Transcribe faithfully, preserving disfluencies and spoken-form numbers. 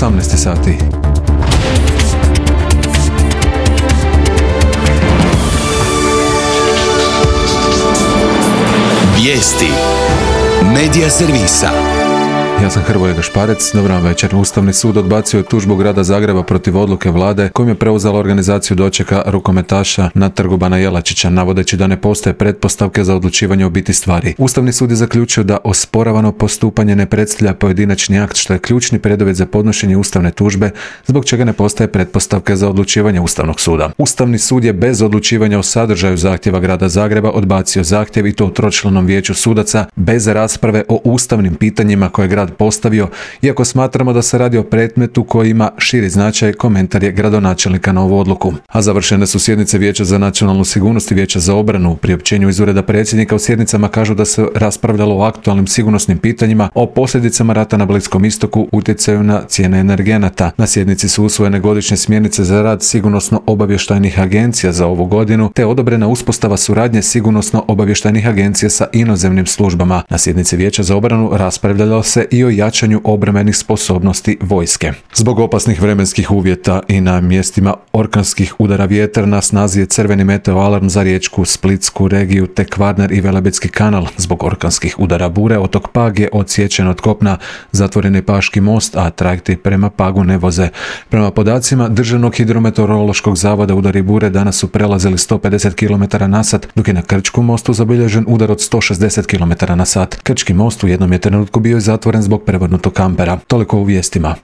osamnaest sati. Vijesti Medija servisa. Ja sam Hrvoje Gašparec, dobro vam večer. Ustavni sud odbacio je tužbu grada Zagreba protiv odluke vlade kojim je preuzela organizaciju dočeka rukometaša na trgu Bana Jelačića, navodeći da ne postoje pretpostavke za odlučivanje o biti stvari. Ustavni sud je zaključio da osporavano postupanje ne predstavlja pojedinačni akt, što je ključni preduvjet za podnošenje ustavne tužbe, zbog čega ne postoje pretpostavke za odlučivanje Ustavnog suda. Ustavni sud je bez odlučivanja o sadržaju zahtjeva grada Zagreba odbacio zahtjev i to u tročlanom vijeću sudaca bez rasprave o ustavnim pitanjima koje grad postavio, iako smatramo da se radi o predmetu koji ima širi značaj, komentar je gradonačelnika na ovu odluku. A završene su sjednice Vijeća za nacionalnu sigurnost i Vijeća za obranu. U priopćenju iz ureda predsjednika u sjednicama kažu da se raspravljalo o aktualnim sigurnosnim pitanjima, o posljedicama rata na Bliskom istoku, utjecaju na cijene energenata. Na sjednici su usvojene godišnje smjernice za rad sigurnosno-obavještajnih agencija za ovu godinu, te odobrena uspostava suradnje sigurnosno-obavještajnih agencija sa inozemnim službama. Na sjednici Vijeća za obranu raspravljalo se i o jačanju obrambenih sposobnosti vojske. Zbog opasnih vremenskih uvjeta i na mjestima orkanskih udara vjetra na snazi je crveni meteo alarm za Riječku, Splitsku regiju te Kvarner i Velebitski kanal. Zbog orkanskih udara bure otok Pag je odsječen od kopna, zatvoren je Paški most, a trajekti prema Pagu ne voze. Prema podacima Državnog hidrometeorološkog zavoda udari bure danas su prelazili sto pedeset kilometara na sat, dok je na Krčkom mostu zabilježen udar od sto šezdeset kilometara na sat. Krčki most u jednom je trenutku bio zatvoren zbog prevrnutog kampera. Toliko u vijestima.